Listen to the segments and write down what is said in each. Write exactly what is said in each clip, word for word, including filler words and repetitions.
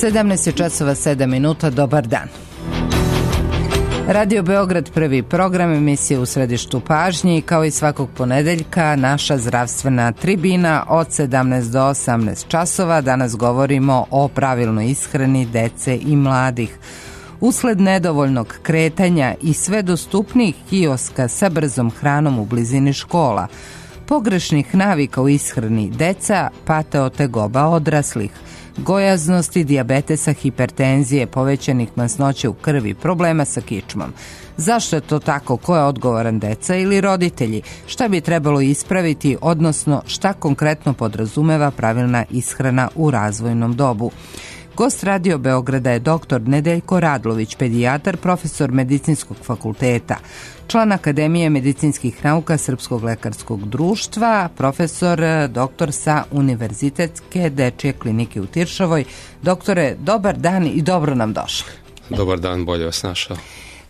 sedamnaest je časova sedam minuta, dobar dan. Radio Beograd, prvi program, emisije u središtu pažnji, kao i svakog ponedeljka naša zdravstvena tribina od sedamnaest do osamnaest časova. Danas govorimo o pravilnoj ishrani dece i mladih. Usled nedovoljnog kretanja i sve dostupnijih kioska sa brzom hranom u blizini škola, pogrešnih navika u ishrani deca pate od tegoba odraslih, gojaznosti, dijabetesa, hipertenzije, povećanih masnoće u krvi, problema sa kičmom. Zašto je to tako? Ko je odgovoran, deca ili roditelji? Šta bi trebalo ispraviti, odnosno šta konkretno podrazumeva pravilna ishrana u razvojnom dobu? Gost Radio Beograda je doktor Nedeljko Radlović, pedijatar, profesor Medicinskog fakulteta, član Akademije medicinskih nauka Srpskog lekarskog društva, profesor, doktor sa Univerzitetske dečje klinike u Tiršovoj. Doktore, dobar dan i dobro nam došli. Dobar dan, bolje vas našao.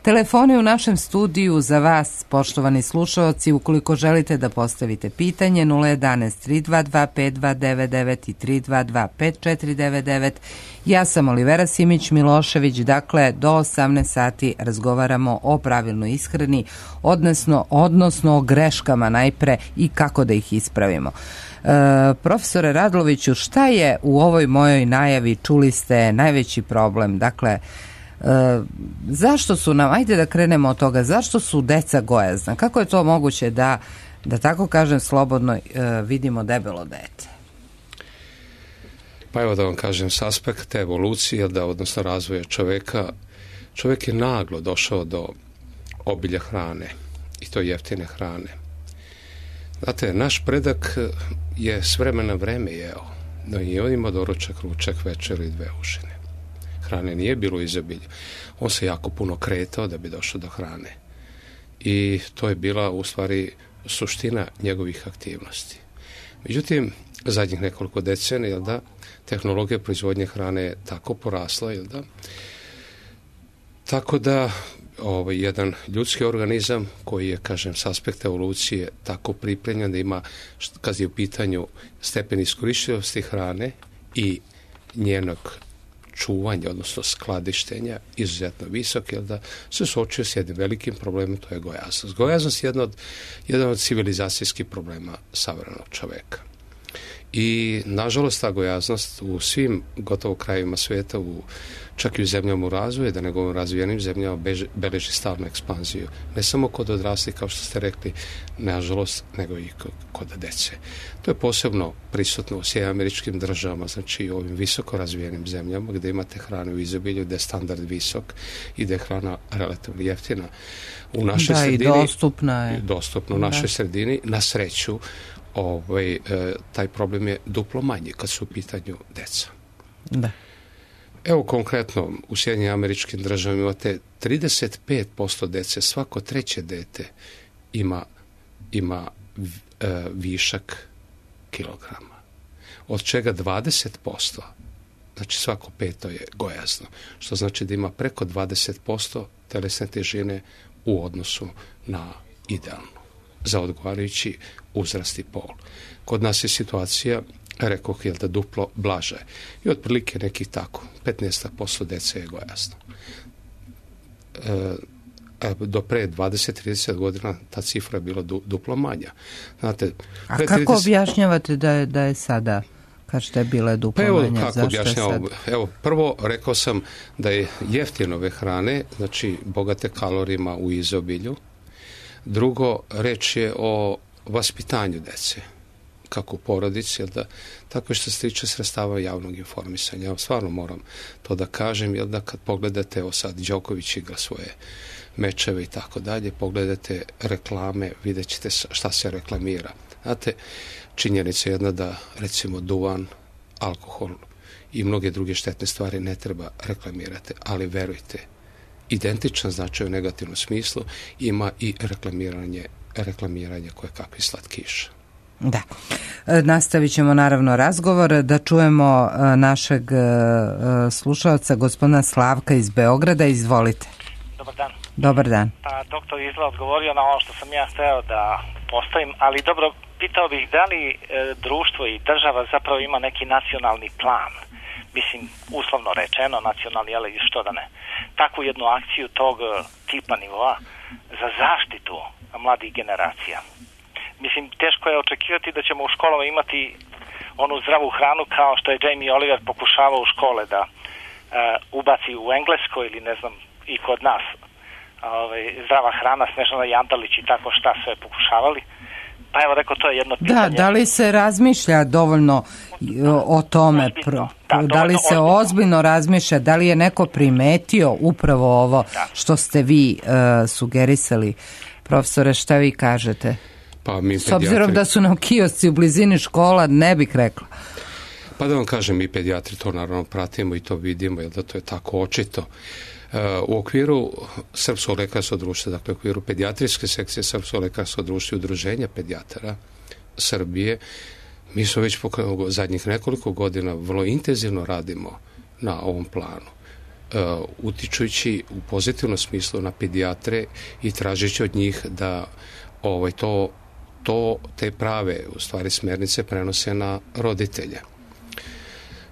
Telefoni u našem studiju za vas, poštovani slušaoci, ukoliko želite da postavite pitanje, nula jedanaest tri dva dva pet dva devet devet i tri dva dva pet četiri devet devet. Ja sam Olivera Simić-Milošević, dakle do osamnaest sati razgovaramo o pravilnoj ishrani, odnosno, odnosno o greškama najpre i kako da ih ispravimo. E, profesore Radloviću, šta je u ovoj mojoj najavi, čuli ste, najveći problem? Dakle, E, zašto su nam, ajde da krenemo od toga, zašto su deca gojazna? Kako je to moguće da, da tako kažem slobodno, e, vidimo debelo dete? Pa evo da vam kažem, s aspekta evolucije, da odnosno razvoja čoveka, čovjek je naglo došao do obilja hrane i to jeftine hrane. Znate, naš predak je s vremena na vreme jeo, no i on ima doručak, ručak, večeru i dve užine. Hrane nije bilo u izobilju. On se jako puno kretao da bi došao do hrane. I to je bila u stvari suština njegovih aktivnosti. Međutim, zadnjih nekoliko decenija, jel da, tehnologija proizvodnje hrane je tako porasla, jel da, tako da ovaj, jedan ljudski organizam koji je, kažem, s aspekta evolucije tako pripremljen da ima, kad je u pitanju stepen iskoristivosti hrane i njenog čuvanja, odnosno skladištenja, izuzetno visok, jer da se suočio s jednim velikim problemom, to je gojaznost. Gojaznost je jedan od, jedan od civilizacijskih problema savremenog čoveka. I, nažalost, ta gojaznost u svim gotovo krajevima svijeta, u, čak i u zemljama u razvoju, da ne govorim razvijenim zemljama, beže, beleži stalnu ekspanziju. Ne samo kod odraslih, kao što ste rekli, nažalost, nego i kod, kod dece. To je posebno prisutno u Sjedinjenim Američkim Državama, znači u ovim visoko razvijenim zemljama, gdje imate hranu u izobilju, gdje je standard visok i gdje je hrana relativno jeftina. U našoj da, sredini, i dostupna je. Dostupno u našoj da. sredini, na sreću, Ovaj, e, taj problem je duplo manji kad su u pitanju deca. Da. Evo konkretno, u Sjedinjenim Američkim Državama imate trideset pet posto dece, svako treće dete ima, ima e, višak kilograma. Od čega dvadeset posto, znači svako peto je gojazno, što znači da ima preko dvadeset posto telesne težine u odnosu na idealnu za odgovarajući uzrast i pol. Kod nas je situacija, rekoh, je da duplo blaže. I otprilike nekih tako, petnaest posto dece je gojazno. E, do pre dvadeset do trideset godina ta cifra je bila du, duplo manja. Znate, a kako trideset objašnjavate da je, da je sada, kažete je bila duplo pa evo, manja? Kako objašnjavam? Evo, prvo rekao sam da je jeftinove hrane, znači bogate kalorijima u izobilju. Drugo, reč je o vaspitanju dece, kako u porodici, jel da, tako što se tiče sredstava javnog informisanja. Ja stvarno moram to da kažem, jel da kad pogledate, evo sad Đoković igra svoje mečeve i tako dalje, pogledate reklame, vidjet ćete šta se reklamira. Znate, činjenica je jedna da, recimo, duvan, alkohol i mnoge druge štetne stvari ne treba reklamirati, ali verujte, identičan značaj u negativnom smislu ima i reklamiranje, reklamiranje koje kakvi slatkiša. Da. Nastavit ćemo naravno razgovor, da čujemo našeg slušalca, gospodina Slavka iz Beograda. Izvolite. Dobar dan. Dobar dan. Pa, doktor izgleda odgovorio na ono što sam ja hteo da postavim, ali dobro, pitao bih da li e, društvo i država zapravo ima neki nacionalni plan mislim, uslovno rečeno, nacionalni, ali što da ne, takvu jednu akciju tog tipa nivoa za zaštitu mladih generacija. Mislim, teško je očekivati da ćemo u školama imati onu zdravu hranu kao što je Jamie Oliver pokušavao u škole da uh, ubaci u Engleskoj ili ne znam i kod nas ovaj, zdrava hrana, Snežana Jandalić i tako šta sve pokušavali. Pa evo rekao, to je jedno pitanje. Da, da li se razmišlja dovoljno o tome? Pro, da, da li se ozbiljno. ozbiljno razmišlja? Da li je neko primetio upravo ovo da. što ste vi uh, sugerisali? Profesore, šta vi kažete? Pa mi S obzirom da su nam kiosci u blizini škola, ne bih rekla. Pa da vam kažem, mi pedijatri to naravno pratimo i to vidimo, jer da to je tako očito. U okviru Srpskog lekarskog društva, dakle u okviru pedijatrijske sekcije Srpskog lekarskog društva i udruženja pedijatara Srbije, mi smo već pokrenuli zadnjih nekoliko godina vrlo intenzivno radimo na ovom planu, uh, utičujući u pozitivnom smislu na pedijatre i tražeći od njih da ovaj, to, to, te prave, u stvari smernice prenose na roditelje.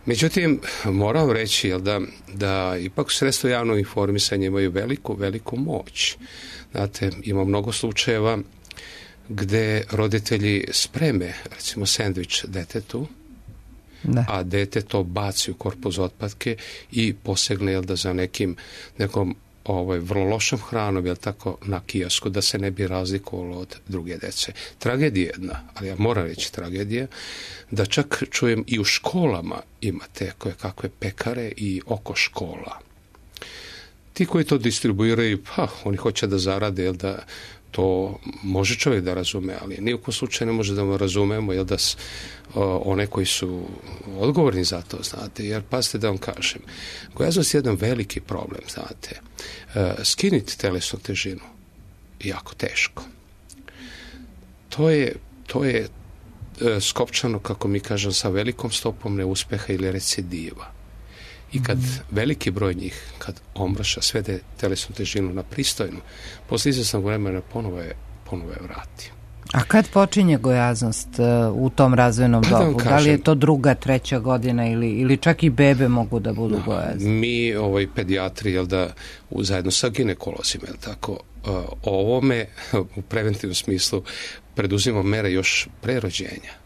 Međutim, moram reći jel, da, da ipak sredstva javnog informisanja imaju veliku, veliku moć. Znate, ima mnogo slučajeva gde roditelji spreme, recimo, sendvič detetu, da. a dete to baci u korpus otpadke i posegne jel, da za nekim, nekom ovaj, vrlo lošom hranom, jel tako, na kiosku, da se ne bi razlikovalo od druge dece. Tragedija jedna, ali ja moram reći tragedija, da čak čujem i u školama imate koje kakve pekare i oko škola. Ti koji to distribuiraju, pa oni hoće da zarade, jel da to može čovjek da razume, ali ni u kom slučaju ne može da mu razumemo, jel da s, o, one koji su odgovorni za to, znate, jer pazite da vam kažem, gojaznost je jedan veliki problem, znate, e, skiniti telesnu težinu je jako teško. To je, to je e, skopčano, kako mi kažem, sa velikom stopom neuspeha ili recidiva. I kad mm. veliki broj njih, kad omraša, svede telesnu težinu na pristojnu, posle izvesnog vremena ponovo je, ponovo je vrati. A kad počinje gojaznost uh, u tom razvojnom pa dobu? Da, da li je to druga, treća godina ili, ili čak i bebe mogu da budu no, gojazne? Mi, ovaj, pedijatri, jel da, u, zajedno sa ginekolozima, jel tako, uh, ovome u preventivnom smislu preduzimamo mere još pre rođenja.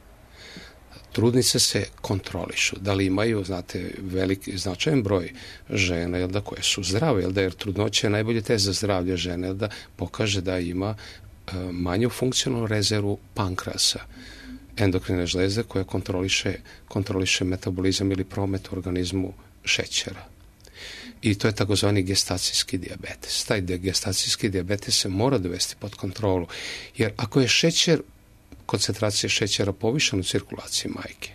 Trudnice se kontrolišu, da li imaju, znate, veliki, značajan broj žena, jel da, koje su zdrave, jel da, jer trudnoća je najbolje test za zdravlje žene, jel da, pokaže da ima e, manju funkcionalnu rezervu pankrasa, endokrine žlezde koja kontroliše, kontroliše metabolizam ili promet u organizmu šećera. I to je takozvani gestacijski dijabetes. Taj gestacijski dijabetes se mora dovesti pod kontrolu, jer ako je šećer koncentracija šećera povišena u cirkulaciji majke,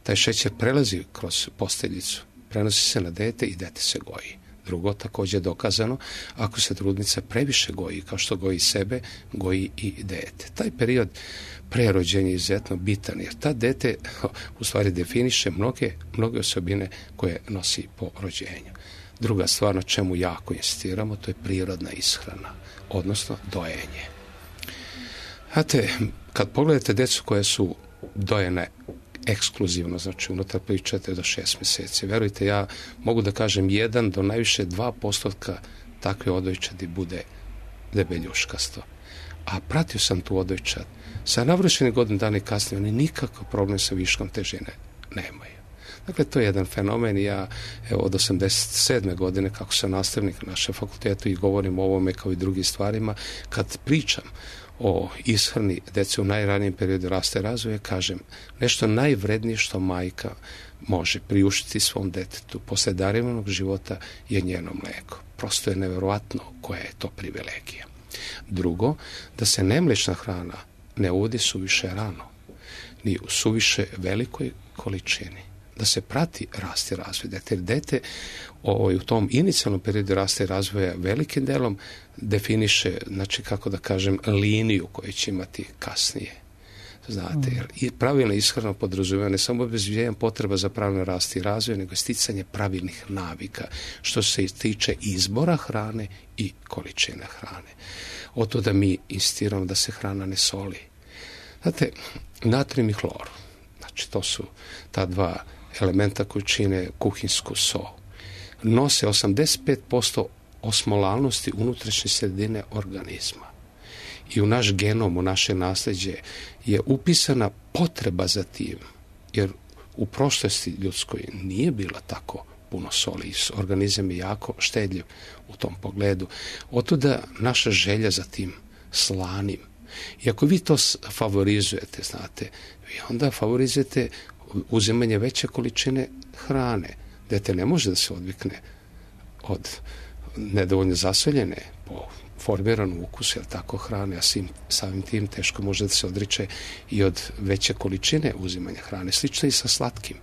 taj šećer prelazi kroz posteljicu, prenosi se na dete i dete se goji. Drugo, također je dokazano, ako se trudnica previše goji, kao što goji sebe, goji i dete. Taj period prerođenja je izuzetno bitan, jer ta dete u stvari definiše mnoge, mnoge osobine koje nosi po rođenju. Druga stvar na čemu jako insistiramo, to je prirodna ishrana, odnosno dojenje. Znate, kad pogledate djecu koje su dojene ekskluzivno, znači unutar prvih četiri do šest mjeseci, verujte, ja mogu da kažem jedan do najviše dva postotka takve odojčadi bude debeljuškasto. A pratio sam tu odojčad. Sa navršenih godina dana i kasnije oni nikakav problem sa viškom težine nemaju. Dakle, to je jedan fenomen i ja evo, od osamdeset sedme godine kako sam nastavnik na našem fakultetu i govorim o ovome kao i drugim stvarima, kad pričam o ishrani dece u najranijem periodu rasta i razvoja, kažem, nešto najvrednije što majka može priuštiti svom detetu posle darovanog života je njeno mleko. Prosto je neverovatno koja je to privilegija. Drugo, da se nemlečna hrana ne uvodi suviše rano, ni u suviše velikoj količini. Da se prati rast i razvoj dete. Jer dete ovaj, u tom inicijalnom periodu rasta i razvoja velikim delom definiše, znači kako da kažem, liniju koju će imati kasnije. Znate, jer i pravilna ishrana podrazumijeva ne samo obezbeđenje potreba za pravilno rast i razvoj, nego sticanje pravilnih navika, što se tiče izbora hrane i količine hrane. Od to da mi insistiramo da se hrana ne soli. Znate, natrijum i hlor, znači to su ta dva elementa koji čine kuhinsku so, nose osamdeset pet posto osmolalnosti unutrašnje sredine organizma. I u naš genom, u naše nasljeđe je upisana potreba za tim, jer u prošlosti ljudskoj nije bila tako puno soli. Organizam je jako štedljiv u tom pogledu. Otuda naša želja za tim slanim. I ako vi to favorizujete, znate, vi onda favorizujete uzimanje veće količine hrane. Dete ne može da se odvikne od nedovoljno zasoljene po formiranom ukusu, jel tako, hrane, a samim tim teško može da se odriče i od veće količine uzimanja hrane. Slično i sa slatkim.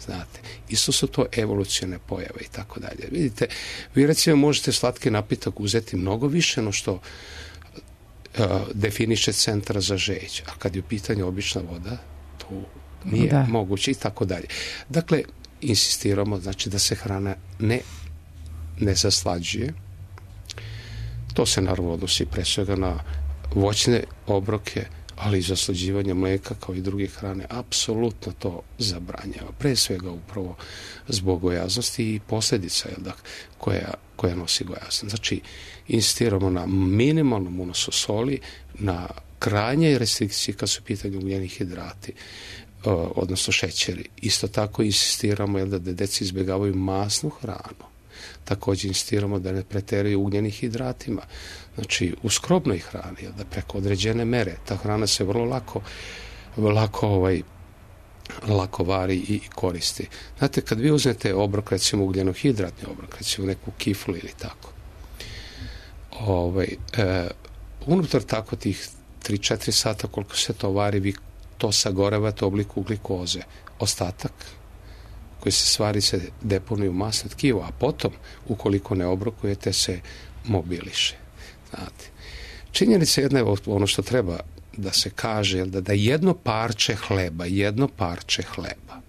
Znate, isto su to evolucione pojave i tako dalje. Vidite, vi recimo možete slatki napitak uzeti mnogo više no što uh, definiše centar za žeđ, a kad je u pitanju obična voda, to nije da. moguće i tako dalje. Dakle, insistiramo, znači, da se hrana ne, ne zaslađuje. To se naravno odnosi pre svega na voćne obroke, ali i zaslađivanje mlijeka kao i druge hrane, apsolutno to zabranjava. Pre svega upravo zbog gojaznosti i posljedica jel da, koja, koja nosi gojaznost. Znači, insistiramo na minimalnom unosu soli, na krajnjoj restrikciji kad su pitanje ugljeni hidrati, odnosno šećeri. Isto tako insistiramo jel da, da deci izbjegavaju masnu hranu. Također insistiramo da ne preteraju ugljenim hidratima. Znači, u skrobnoj hrani, jel da, preko određene mere, ta hrana se vrlo lako, lako, ovaj, lako vari i koristi. Znate, kad vi uzmete obrok, recimo ugljenohidratni obrok, recimo neku kiflu ili tako, ovaj, e, unutar tako tih tri do četiri sata koliko se to vari, vi to sagorevate u obliku glikoze. Ostatak koji se stvari se deponuju u masno tkivo, a potom, ukoliko ne obrokujete, se mobiliše. Znate, činjenica jedna je ono što treba da se kaže, da, da jedno parče hleba, jedno parče hleba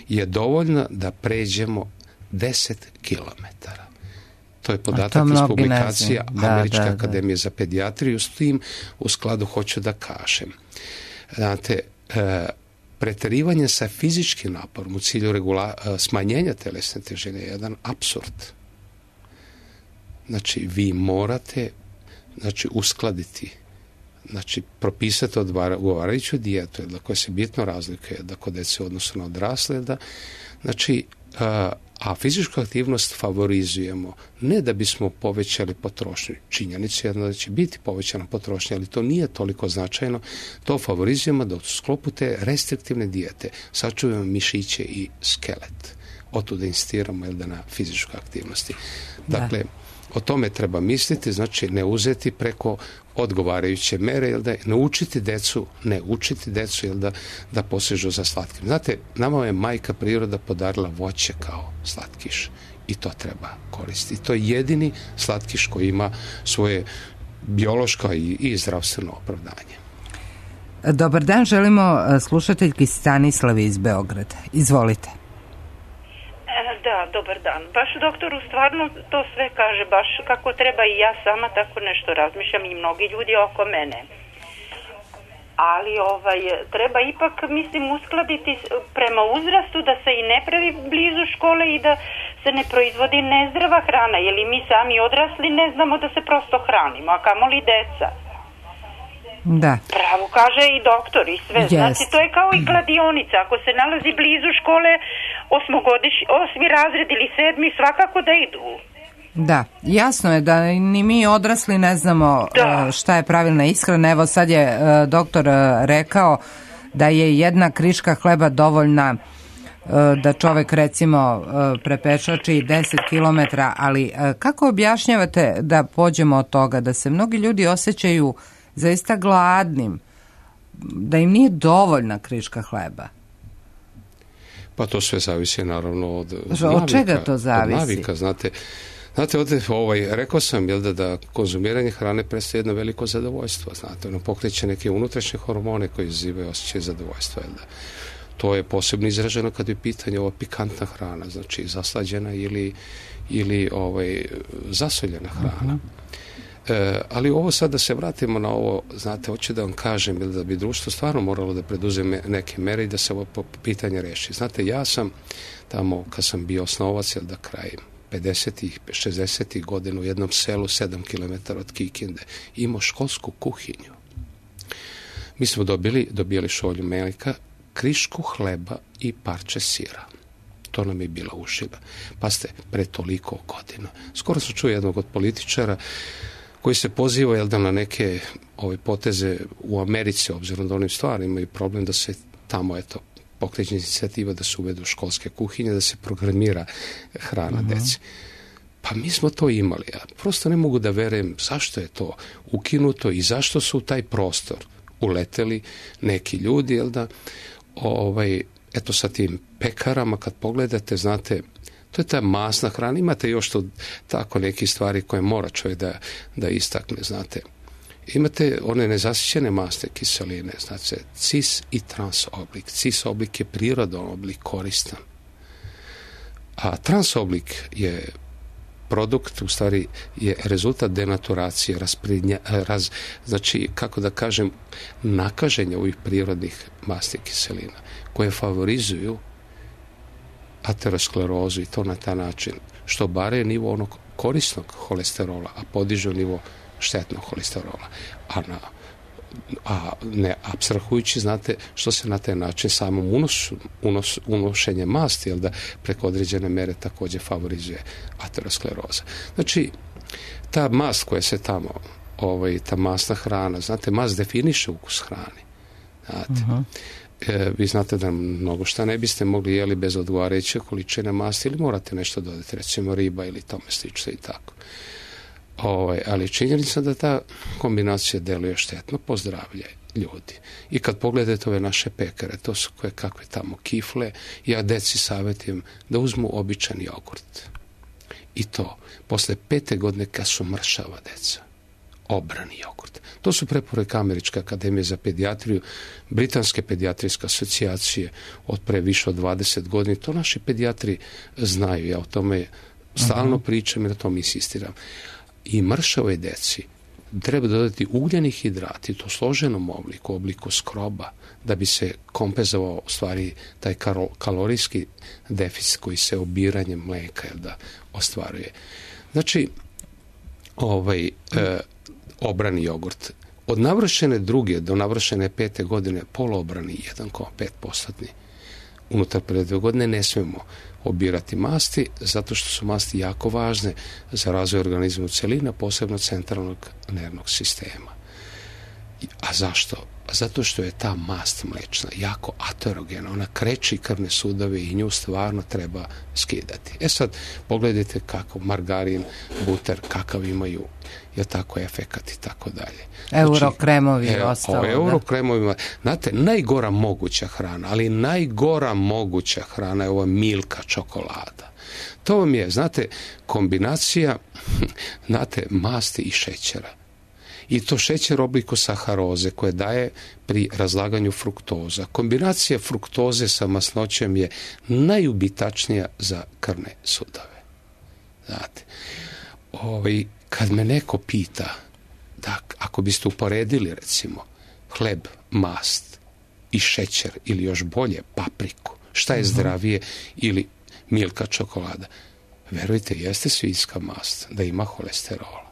je dovoljno da pređemo deset kilometara. To je podatak iz publikacija Američke da, da, akademije da. za pedijatriju. S tim u skladu hoću da kažem. Znate, e, preterivanje sa fizičkim naporom u cilju regula, smanjenja telesne težine je jedan apsurd. Znači, vi morate znači, uskladiti, znači, propisati odgovarajuću dijetu, da koja se bitno razlikuje, da kod dece u odnosu na odrasle, da, znači, a, a fizičku aktivnost favorizujemo ne da bismo povećali potrošnju. Činjenica je da će biti povećana potrošnja, ali to nije toliko značajno. To favorizujemo da u sklopu te restriktivne dijete sačuvamo mišiće i skelet. Otuda insistiramo jel da, na fizičkoj aktivnosti. Dakle, da. O tome treba misliti, znači ne uzeti preko odgovarajuće mere, jel da, ne učiti decu, ne učiti decu, jel da, da posežu za slatkim. Znate, nama je majka priroda podarila voće kao slatkiš i to treba koristiti. To je jedini slatkiš koji ima svoje biološko i, i zdravstveno opravdanje. Dobar dan, želimo slušateljki Stanislavi iz Beograda. Izvolite. Da, dobar dan. Baš doktoru stvarno to sve kaže baš kako treba i ja sama tako nešto razmišljam i mnogi ljudi oko mene. Ali ovaj, treba ipak, mislim, uskladiti prema uzrastu da se i ne pravi blizu škole i da se ne proizvodi nezdrava hrana, jer i mi sami odrasli ne znamo da se prosto hranimo, a kamoli deca. Da. Pravo kaže i doktor i sve. Yes. Znači, to je kao i kladionica. Ako se nalazi blizu škole, osmogodiš, osmi razred ili sedmi, svakako da idu. Da, jasno je da ni mi odrasli ne znamo da. šta je pravilna ishrana. Evo sad je uh, doktor uh, rekao da je jedna kriška hleba dovoljna uh, da čovek recimo uh, prepešači deset kilometara, ali uh, kako objašnjavate da pođemo od toga da se mnogi ljudi osjećaju zaista gladnim, da im nije dovoljna kriška hleba? Pa to sve zavisi naravno od, od, od navika. čega to zavisi? Od navika, znate. Znate, ovdje, ovaj, rekao sam jel da, da konzumiranje hrane predstavlja jedno veliko zadovoljstvo. Znate, ono pokreće neke unutrašnje hormone koji izazivaju osjećaj zadovoljstva. Jel da. To je posebno izraženo kad je pitanje ova pikantna hrana, znači zaslađena ili, ili ovaj, zasoljena hrana. Uh-huh. E, ali ovo sad da se vratimo na ovo, znate, hoću da vam kažem, ili da bi društvo stvarno moralo da preduzme neke mere i da se ovo pitanje reši. Znate, ja sam tamo, kad sam bio osnovac, jel da krajem pedesetih, šezdesetih godina u jednom selu sedam kilometara od Kikinde imao školsku kuhinju. Mi smo dobili, dobili šolju mlijeka, krišku hleba i parče sira. To nam je bila užina. Pa ste pre toliko godina. Skoro sam čuo jednog od političara koji se poziva, jel da, na neke ove poteze u Americi, obzirom da onim stvarima imaju problem da se tamo, eto, pokreće inicijativa da se uvedu školske kuhinje, da se programira hrana uh-huh. deci. Pa mi smo to imali. Ja prosto ne mogu da verujem zašto je to ukinuto i zašto su u taj prostor uleteli neki ljudi, jel da, ovaj, eto sa tim pekarama, kad pogledate, znate, to je ta masna hrana. Imate još to tako neke stvari koje mora čovjek da, da istakne, znate. Imate one nezasićene masne kiseline, znači cis i trans oblik. Cis oblik je prirodan oblik, koristan. A trans oblik je produkt, u stvari je rezultat denaturacije, rasprednja, raz, znači, kako da kažem, nakaženja ovih prirodnih masnih kiselina, koje favorizuju aterosklerozu i to na taj način, što bare nivo onog korisnog holesterola, a podižu nivo štetnog holesterola. A, na, a ne apstrahujući, znate, što se na taj način samom unosu, unos, unošenje masti, jel da, preko određene mere također favorizuje ateroskleroza. Znači, ta mast koja se tamo, ovaj, ta masna hrana, znate, mast definiše ukus hrane. Znate, uh-huh. e, vi znate da mnogo šta ne biste mogli jeli bez odgovarajuće količine masti ili morate nešto dodati, recimo riba ili tome slično i tako. Ovaj, ali činjenica da ta kombinacija deluje štetno po zdravlje ljudi. I kad pogledate ove naše pekare, to su koje kakve tamo kifle, ja deci savjetujem da uzmu običan jogurt. I to, posle pete godine kad su mršava deca, obrani jogurt. To su preporuke Američke akademije za pedijatriju, Britanske pedijatrijske asocijacije od pre više od dvadeset godina. To naši pedijatri znaju, ja o tome stalno pričam i na tom insistiram. I mršavoj deci treba dodati ugljeni hidrati u to složenom obliku, obliku skroba, da bi se kompenzovao u stvari taj kalorijski deficit koji se obiranjem mlijeka da ostvaruje. Znači, ovaj, e, obrani jogurt. Od navršene druge do navršene pete godine poloobrani jedan zarez pet posto. Unutar prve dve godine ne smijemo obirati masti, zato što su masti jako važne za razvoj organizma u celini, posebno centralnog nervnog sistema. A zašto? Zato što je ta mast mlečna jako aterogena, ona kreči krvne sudove i nju stvarno treba skidati. E sad, pogledajte kako margarin, buter, kakav imaju, je tako efekat i tako dalje. Eurokremovi i ostalo. O eurokremovima, znate, najgora moguća hrana, ali najgora moguća hrana je ova milka čokolada. To vam je, znate, kombinacija, znate, masti i šećera. I to šećer u obliku saharoze koje daje pri razlaganju fruktoza. Kombinacija fruktoze sa masnoćem je najubitačnija za krvne sudove. Znate, ovaj, kad me neko pita da ako biste uporedili recimo hleb, mast i šećer ili još bolje papriku, šta je zdravije ili milka čokolada, verujte, jeste svinjska mast da ima holesterola.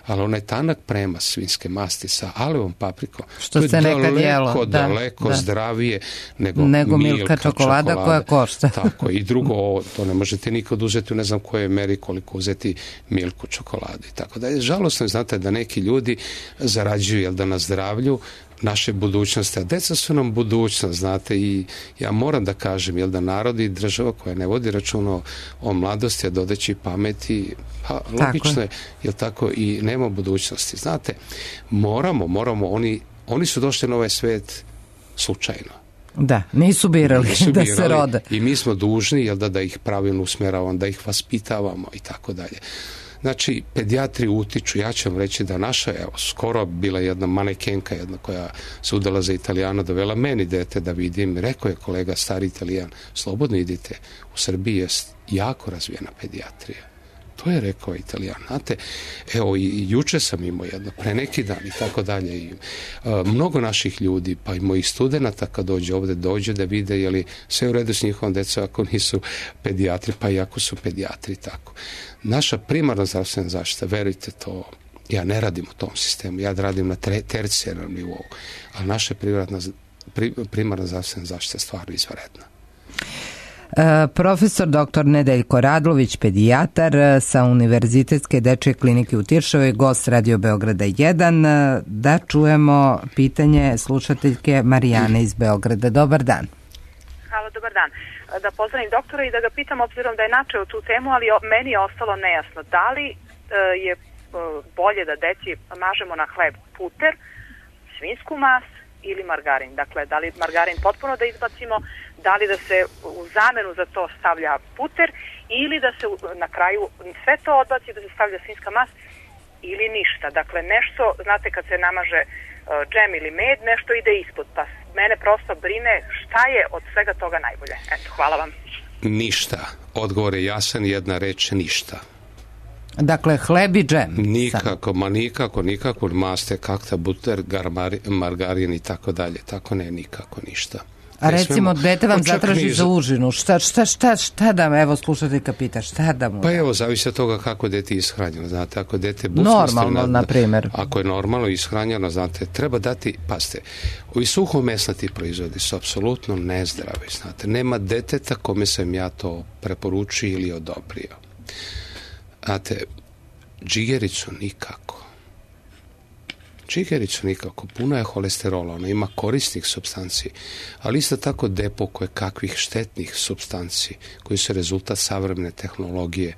Ali onaj tanak prema svinjske masti sa alevom paprikom, što to se je nekad daleko, jelo, da, daleko da. zdravije nego, nego milka, milka čokolada, čokolada koja košta. Tako, i drugo, to ne možete nikad uzeti u ne znam kojoj meri koliko uzeti milku čokoladu i tako da je žalosno, znate, da neki ljudi zarađuju, jel da, na zdravlju naše budućnosti, a deca su nam budućnost, znate, i ja moram da kažem, jel da, narod i država koja ne vodi računa o mladosti, a dodeći pameti, pa logično je, jel tako, i nema budućnosti. Znate, moramo, moramo, oni, oni su došli na ovaj svet slučajno. Da, nisu birali, nisu birali da se rode. I mi smo dužni, jel da, da ih pravilno usmjeravamo, da ih vaspitavamo i tako dalje. Znači, pedijatri utiču, ja ću vam reći da naša, evo, skoro bila jedna manekenka, jedna koja se udala za Italijana, dovela meni dete da vidim, rekao je kolega stari Italijan, slobodno idite, u Srbiji je jako razvijena pedijatrija. To je rekao Italijan. Znate, evo i juče sam imao jedno, pre neki dan i tako dalje. I, uh, mnogo naših ljudi, pa i mojih studenata kad dođe ovde, dođe da vide je li sve u redu s njihovom decom ako nisu pedijatri, pa i ako su pedijatri, tako. Naša primarna zdravstvena zaštita, verujte to, ja ne radim u tom sistemu, ja radim na tercijarnom nivou, ali naša primarna, pri, primarna zdravstvena zaštita je stvarno izvanredna. E, profesor doktor Nedeljko Radlović, pedijatar sa Univerzitetske dečje klinike u Tiršovoj, gost Radio Beograda jedan. Da čujemo pitanje slušateljke Marijane iz Beograda. Dobar dan. Halo, dobar dan. Da pozdravim doktora i da ga pitam, obzirom da je načeo tu temu, ali meni je ostalo nejasno. Da li e, je bolje da deci mažemo na hleb puter, svinjsku mas ili margarin? Dakle, da li margarin potpuno da izbacimo, da li da se u zamenu za to stavlja puter ili da se na kraju sve to odbaci, da se stavlja svinjska mas ili ništa. Dakle, nešto, znate kad se namaže uh, džem ili med, nešto ide ispod, pa mene prosto brine šta je od svega toga najbolje. Eto, hvala vam. Ništa. Odgovor je jasan, jedna reč, ništa. Dakle, hleb i džem. Nikako, ma nikako, nikako, maste, kakta, buter, garmari, margarin i tako dalje. Tako ne, nikako, ništa. A recimo, dete vam zatraži za užinu. Šta, šta, šta, šta da mu, evo slušateljka pita, šta da mu? Pa evo, zavisi od toga kako dete je ishranjeno. Znate, ako dete... Normalno, na primjer. Ako je normalno ishranjeno, znate, treba dati, pazite, ovi suhomesnati proizvodi su apsolutno nezdravi, znate. Nema deteta kome sam ja to preporučio ili odobrio. Znate, džigericu nikako. Džigericu nikako. Puno je holesterola, ona ima korisnih supstanci, ali isto tako depo koje kakvih štetnih supstanci koji su rezultat savremene tehnologije,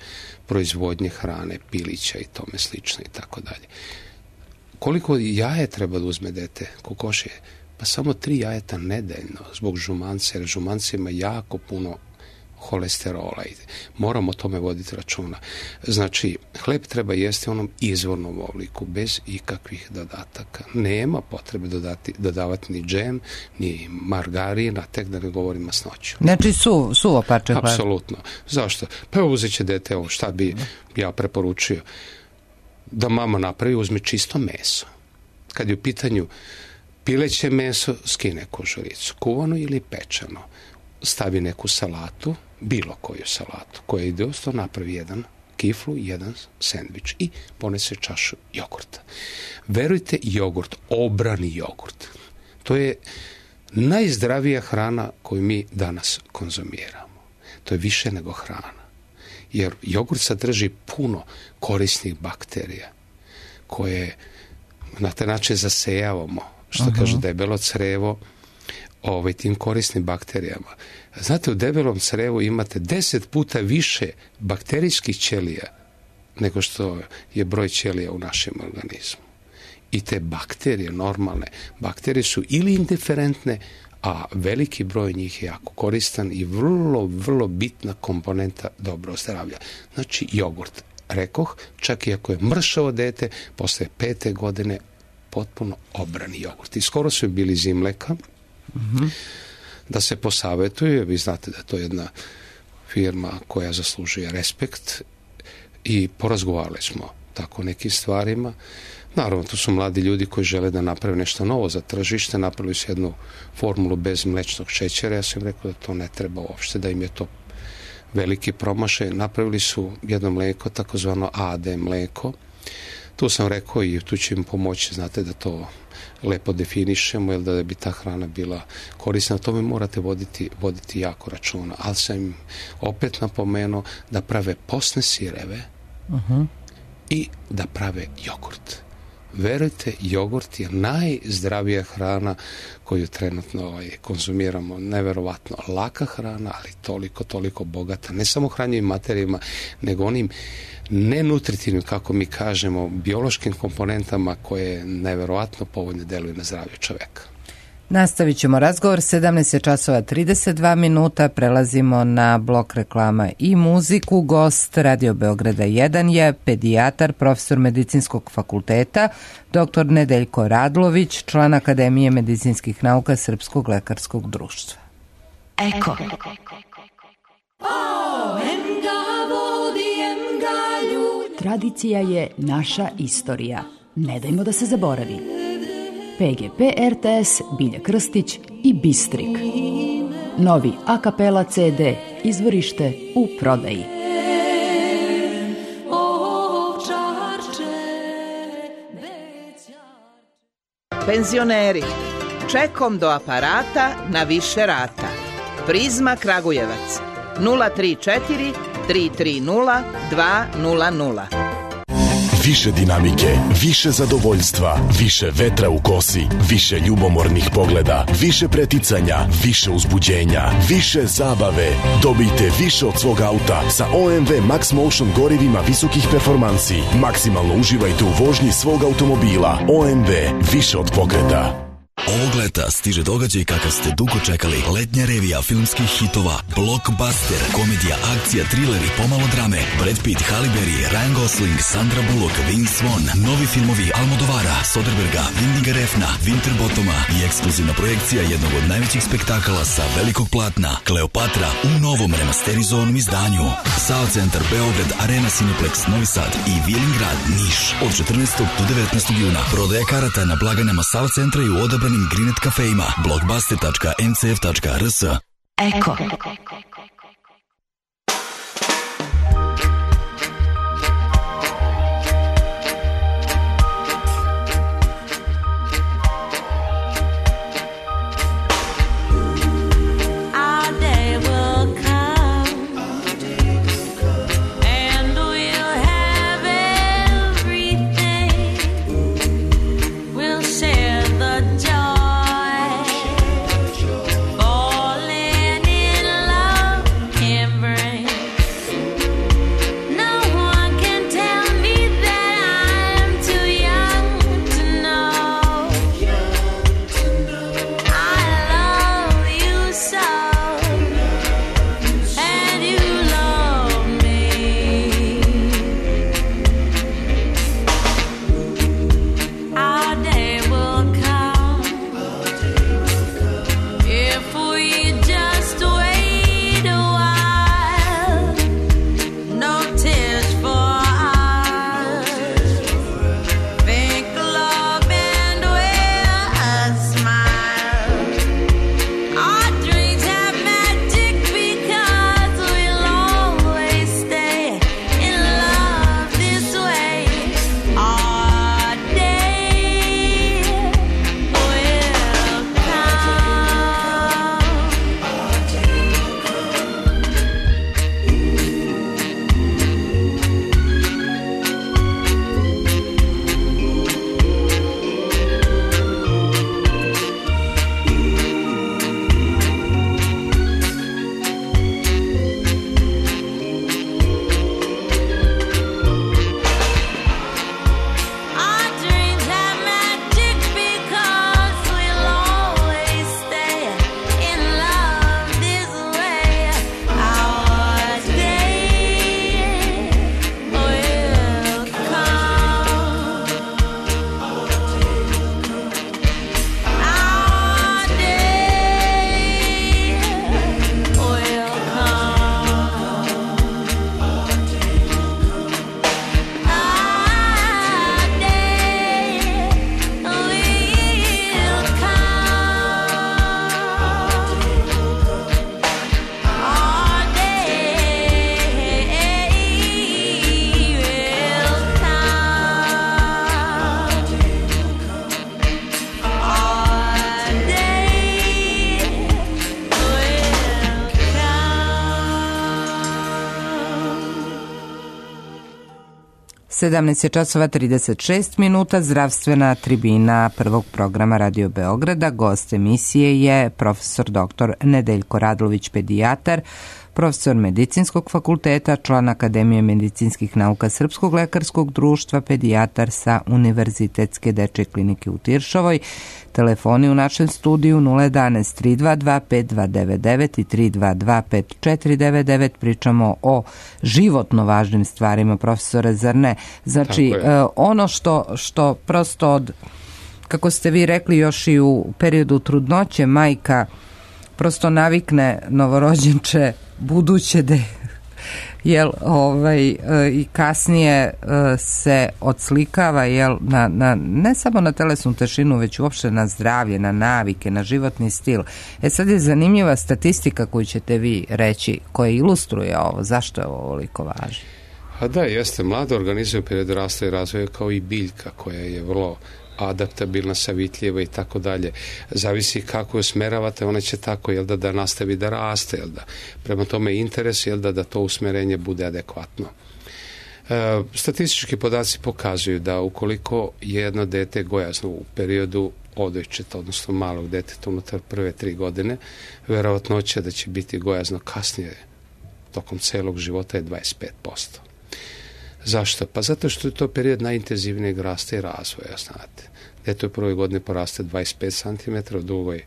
proizvodnje hrane, pilića i tome slično i tako dalje. Koliko jaje treba da uzme dete? Kokošje? Pa samo tri jajeta nedeljno zbog žumanca, jer žumanca ima jako puno holesterola i moramo o tome voditi računa. Znači, hleb treba jesti u onom izvornom obliku, bez ikakvih dodataka. Nema potrebe dodati, dodavati ni džem, ni margarin, a tek da ne govorim masnoću. Znači, su, suvo parče hleba? Apsolutno. Zašto? Pa uzet će dete, ovo šta bi ja preporučio, da mama napravi, uzme čisto meso. Kad je u pitanju pileće meso, skine kožuricu, kuvano ili pečeno, stavi neku salatu, bilo koju salatu, koja ide osto, napravi jedan kiflu, jedan sendvič i ponese čašu jogurta. Verujte, jogurt, obrani jogurt, to je najzdravija hrana koju mi danas konzumiramo. To je više nego hrana. Jer jogurt sadrži puno korisnih bakterija koje na taj način zasejavamo, što uh-huh. kaže debelo crevo, ovaj, tim korisnim bakterijama. Znate, u debelom crevu imate deset puta više bakterijskih ćelija nego što je broj ćelija u našem organizmu. I te bakterije, normalne bakterije su ili indiferentne, a veliki broj njih je jako koristan i vrlo, vrlo bitna komponenta dobrog zdravlja. Znači, jogurt. Rekoh, čak i ako je mršavo dete, posle pete godine potpuno obrani jogurt. I skoro su bili iz Imleka, mm-hmm. da se posavetuje, vi znate da je to jedna firma koja zaslužuje respekt i porazgovarali smo tako o nekim stvarima. Naravno, tu su mladi ljudi koji žele da naprave nešto novo za tržište, napravili su jednu formulu bez mlečnog šećera, ja sam im rekao da to ne treba uopšte, da im je to veliki promašaj. Napravili su jedno mleko, takozvano A D mleko. Tu sam rekao i tu će im pomoći, znate, da to lepo definišemo, jer da bi ta hrana bila korisna. O tome morate voditi, voditi jako računa. Ali sam im opet napomenuo da prave posne sireve uh-huh. i da prave jogurt. Verujte, jogurt je najzdravija hrana koju trenutno ovaj, konzumiramo. Neverovatno laka hrana, ali toliko, toliko bogata. Ne samo hranjivim materijama, nego onim nenutritivnim, kako mi kažemo, biološkim komponentama koje neverovatno povoljno deluju na zdravlje čoveka. Nastavit ćemo razgovor, sedamnaest časova trideset dva minuta, prelazimo na blok reklama i muziku. Gost Radio Beograda jedan je pedijatar, profesor medicinskog fakulteta, doktor Nedeljko Radlović, član Akademije medicinskih nauka Srpskog lekarskog društva. Eko. O, em ga vodi, em ga tradicija je naša istorija. Ne dajmo da se zaboravi. P G P R T S, Bilja Krstić i Bistrik. Novi a kapela C D, izvorište u prodaji. Penzioneri, čekom do aparata na više rata. Prizma Kragujevac, nula tri četiri tri tri nula dva nula nula. Više dinamike, više zadovoljstva, više vetra u kosi, više ljubomornih pogleda, više preticanja, više uzbuđenja, više zabave. Dobijte više od svog auta sa O M V Max Motion gorivima visokih performansi. Maksimalno uživajte u vožnji svog automobila. O M V, više od pokreta. Ovog leta stiže događaj kakav ste dugo čekali. Letnja revija filmskih hitova, blockbuster, komedija, akcija, thriller i pomalo drame. Brad Pitt, Halle Berry, Ryan Gosling, Sandra Bullock, Vince Vaughn, novi filmovi Almodovara, Soderberga, Windiga Refna, Winterbottoma i ekskluzivna projekcija jednog od najvećih spektakala sa velikog platna, Kleopatra u novom remasterizovanom izdanju. Sava centar Beograd, Arena Cineplex Novi Sad i Vilingrad Niš od četrnaestog do devetnaestog juna. Prodaja karata na blagajnama Sava centra i u odabranim Grinet kafejima. blockbuster tačka m c f tačka r s. Eko. sedamnaest je časova trideset šest minuta, zdravstvena tribina prvog programa Radio Beograda. Gost emisije je profesor doktor Nedeljko Radlović, pedijatar, profesor Medicinskog fakulteta, član Akademije medicinskih nauka Srpskog lekarskog društva, pedijatar sa Univerzitetske dečje klinike u Tiršovoj. Telefoni u našem studiju nula jedanaest tri dva dva pet dva devet devet i tri dva dva pet četiri devet devet. Pričamo o životno važnim stvarima, profesore, zar ne? Znači, ono što, što prosto od, kako ste vi rekli, još i u periodu trudnoće majka prosto navikne novorođenče buduće da jel, ovaj, i kasnije se odslikava, jel, na, na, ne samo na telesnu težinu, već uopšte na zdravlje, na navike, na životni stil. E sad je zanimljiva statistika koju ćete vi reći, koja ilustruje ovo. Zašto je ovo ovoliko važno? A da, jeste. Mlade organizme u periodu rasta i razvoja kao i biljka koja je vrlo adaptabilna, savitljiva i tako dalje. Zavisi kako je usmeravate, ona će tako, jel da, da nastavi da raste, jel da. Prema tome interes, jel da, da to usmerenje bude adekvatno. E, statistički podaci pokazuju da ukoliko je jedno dete gojazno u periodu odojčeta, odnosno malog deteta unutar prve tri godine, verovatnoća da će biti gojazno kasnije tokom celog života je dvadeset pet posto. Zašto? Pa zato što je to period najintenzivnijeg rasta i razvoja, znate. Dete u prvoj godini poraste dvadeset pet centimetara, u drugoj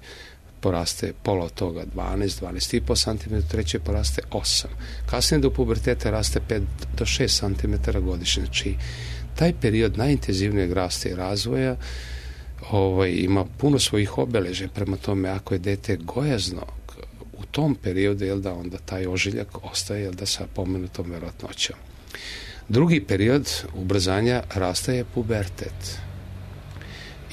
poraste pola od toga dvanaest, dvanaest i po centimetara, u trećoj poraste osam. Kasnije do puberteta raste pet do šest centimetara godišnje. Znači, taj period najintenzivnijeg rasta i razvoja ovaj, ima puno svojih obeležja. Prema tome, ako je dete gojazno u tom periodu, jel da, onda taj ožiljak ostaje, jel da, sa pomenutom verovatnoćom. Drugi period ubrzanja rasta je pubertet.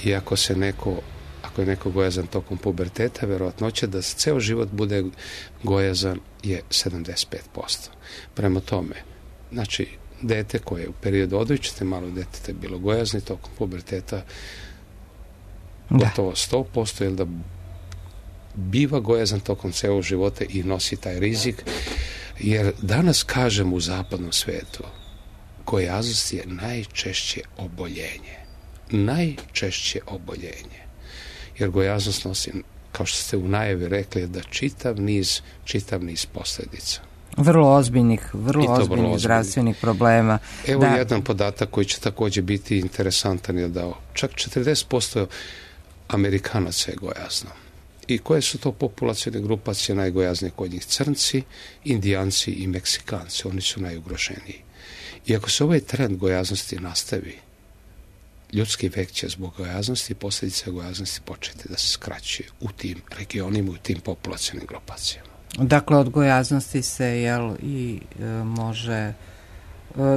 I ako se neko, ako je neko gojazan tokom puberteta, verovatnoća da ceo život bude gojazan je sedamdeset pet posto. Prema tome, znači, dete koje je u periodu odojčete malog deteta bilo gojazno tokom puberteta gotovo sto posto, jer da biva gojazan tokom celog života i nosi taj rizik, jer danas kažem u zapadnom svetu gojaznost je najčešće oboljenje. Najčešće oboljenje. Jer gojaznost nosi, kao što ste u najavi rekli, da čitav niz, čitav niz posljedica. Vrlo ozbiljnih, vrlo ozbiljnih zdravstvenih problema. Evo da. Jedan podatak koji će također biti interesantan je da čak četrdeset posto Amerikanaca je gojazno. I koje su to populacijne grupacije najgojaznije kod njih? Crnci, Indijanci i Meksikanci. Oni su najugroženiji. I ako se ovaj trend gojaznosti nastavi, ljudski vek će zbog gojaznosti i posljedice gojaznosti početi da se skraćuje u tim regionima, u tim populacijnim grupacijama. Dakle, od gojaznosti se, jel, i e, može...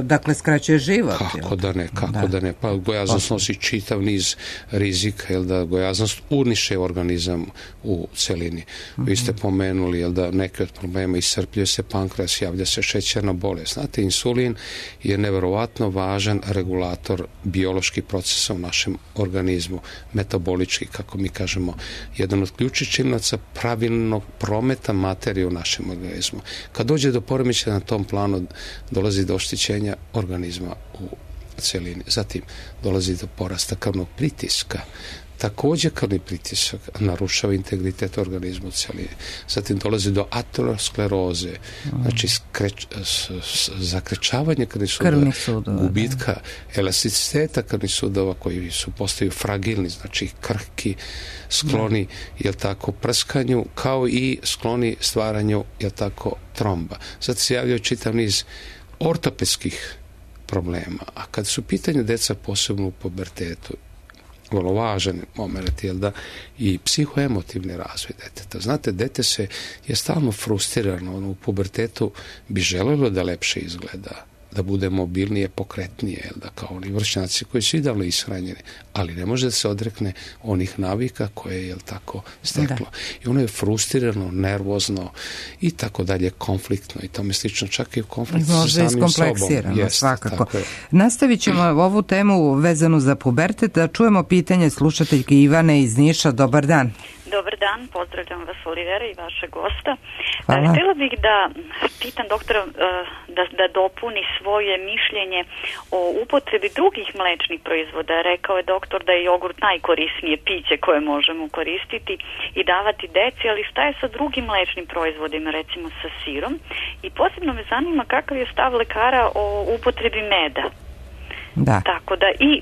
Dakle, skraćuje život. Kako da ne, kako da, da ne. Pa gojaznost nosi čitav niz rizika, jel da gojaznost uniše organizam u celini. Mm-hmm. Vi ste pomenuli, jel da neki od problema iscrpljuje se pankreas, javlja se šećerna bolest. Znate, insulin je neverovatno važan regulator bioloških procesa u našem organizmu, metabolički, kako mi kažemo, jedan od ključnih činilaca pravilnog prometa materije u našem organizmu. Kad dođe do poremećaja na tom planu, dolazi do oštećenja organizma u celini. Zatim dolazi do porasta krvnog pritiska. Također krvni pritisak narušava integritet organizma u celini. Zatim dolazi do ateroskleroze, mm. znači skreč, s, s, zakrečavanje krvnih sudova, sudova, gubitka da. elasticiteta krvnih sudova koji su postaju fragilni, znači krhki, skloni, da. jel tako, prskanju, kao i skloni stvaranju, jel tako, tromba. Zato se javljaju čitav niz ortopedskih problema. A kad su pitanje deca posebno u pubertetu, vrlo važan moment, jel da, i psihoemotivni razvoj deteta. Znate, dete se je stalno frustrirano, ono, u pubertetu bi želelo da lepše izgleda, da bude mobilnije, pokretnije, jel da, kao oni vršnjaci koji su idealno ishranjeni, ali ne može da se odrekne onih navika koje je, jel tako, steklo. Da. I ono je frustrirano, nervozno i tako dalje, konfliktno i tome slično, čak i u konfliktu sa samim sobom. Jest, svakako. Nastavit ćemo ovu temu vezanu za pubertet, da čujemo pitanje slušateljke Ivane iz Niša. Dobar dan. Dobar dan, pozdravljam vas, Olivera, i vaše gosta. Hvala. Htjela bih da pitam doktora da, da dopuni svoje mišljenje o upotrebi drugih mlečnih proizvoda. Rekao je doktor da je jogurt najkorisnije piće koje možemo koristiti i davati deci, ali šta je sa drugim mlečnim proizvodima, recimo sa sirom? I posebno me zanima kakav je stav lekara o upotrebi meda. Da. Tako da i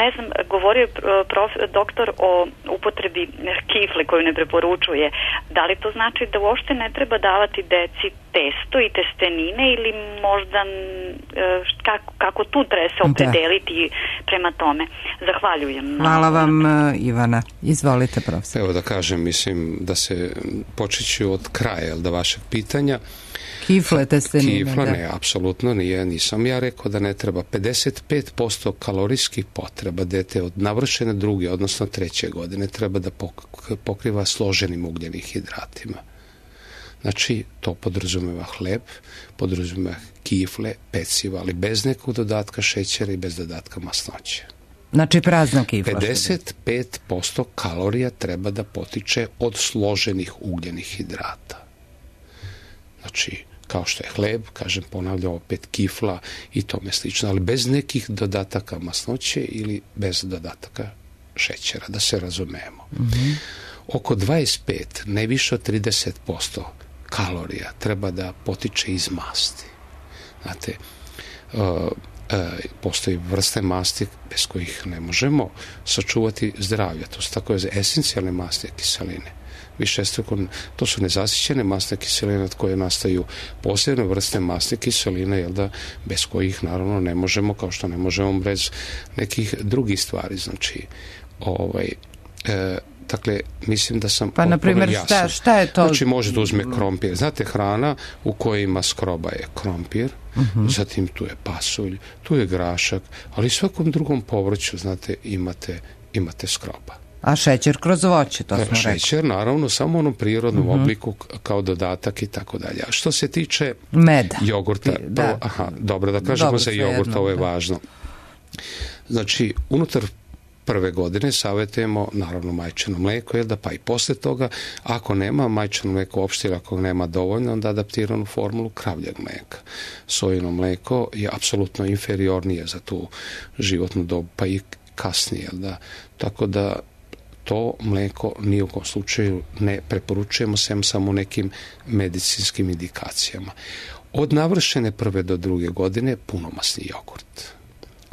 ne znam, govorio je prof, doktor o upotrebi kifle koju ne preporučuje. Da li to znači da uopšte ne treba davati deci testo i testenine ili možda kako, kako tu treba se opredeliti da. prema tome? Zahvaljujem. Hvala vam, Ivana. Izvolite, profesor. Evo da kažem, mislim da se počeću od kraja da vašeg pitanja. Kifle, testenine. Kifla, da. Ne, apsolutno nije. Nisam ja rekao da ne treba. pedeset pet posto kalorijskih potreba dete od navršene druge, odnosno treće godine, treba da pokriva složenim ugljenim hidratima. Znači, to podrazumeva hleb, podrazumeva kifle, peciva, ali bez nekog dodatka šećera i bez dodatka masnoće. Znači, prazna kifla. pedeset pet posto kalorija treba da potiče od složenih ugljenih hidrata. Znači, kao što je hleb, kažem, ponavljam opet kifla i tome slično, ali bez nekih dodataka masnoće ili bez dodataka šećera, da se razumemo. Mm-hmm. Oko dvadeset pet, ne više od trideset posto kalorija treba da potiče iz masti. Znate, uh, uh, postoji vrste masti bez kojih ne možemo sačuvati zdravlje. To su tako esencijalne masti kiseline. Višestruko, to su nezasićene masne kiseline od koje nastaju posebne vrste masne kiseline, jel da, bez kojih naravno ne možemo, kao što ne možemo bez nekih drugih stvari. Znači, ovaj, e, dakle, mislim da sam pa, na primjer, šta, šta je to? Znači, možete uzme krompir. Znate, hrana u kojoj ima skroba je krompir, uh-huh. zatim tu je pasulj, tu je grašak, ali svakom drugom povrću, znate, imate, imate skroba. A šećer kroz voće, to smo rekli. Šećer, naravno, samo u onom prirodnom uh-huh. obliku kao dodatak i tako dalje. A što se tiče meda, jogurta, da. Prvo, aha, dobro, da kažemo dobro, za jogurt, jedno, ovo je da. Važno. Znači, unutar prve godine savjetujemo, naravno, majčino mlijeko, jel da, pa i posle toga, ako nema majčino mlijeko uopšte, ako nema dovoljno, onda adaptiranu formulu kravljeg mlijeka. Sojino mlijeko je apsolutno inferiornije za tu životnu dobu, pa i kasnije, jel da, tako da to mlijeko ni u kom slučaju ne preporučujemo, sem samo nekim medicinskim indikacijama. Od navršene prve do druge godine punomasni jogurt.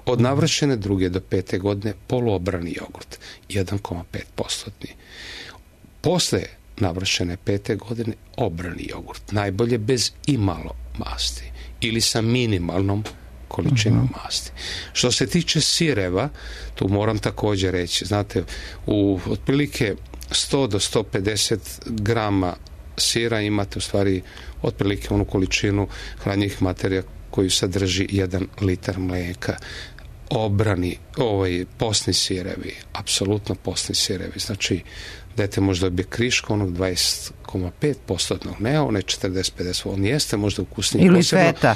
Od navršene druge do pete godine poluobrani jogurt, jedan zarez pet posto. Posle navršene pete godine obrani jogurt, najbolje bez imalo masti ili sa minimalnom količinom uh-huh. masti. Što se tiče sireva, tu moram također reći, znate, u otprilike sto do sto pedeset grama sira imate u stvari otprilike onu količinu hranjivih materija koju sadrži jedan litar mlijeka. Obrani, ovaj, posni sirevi, apsolutno posni sirevi, znači dete možda dobije kriško onog dvadeset zarez pet posto, ne one četrdeset do pedeset, on jeste možda ukusniji. Ili posebno, feta.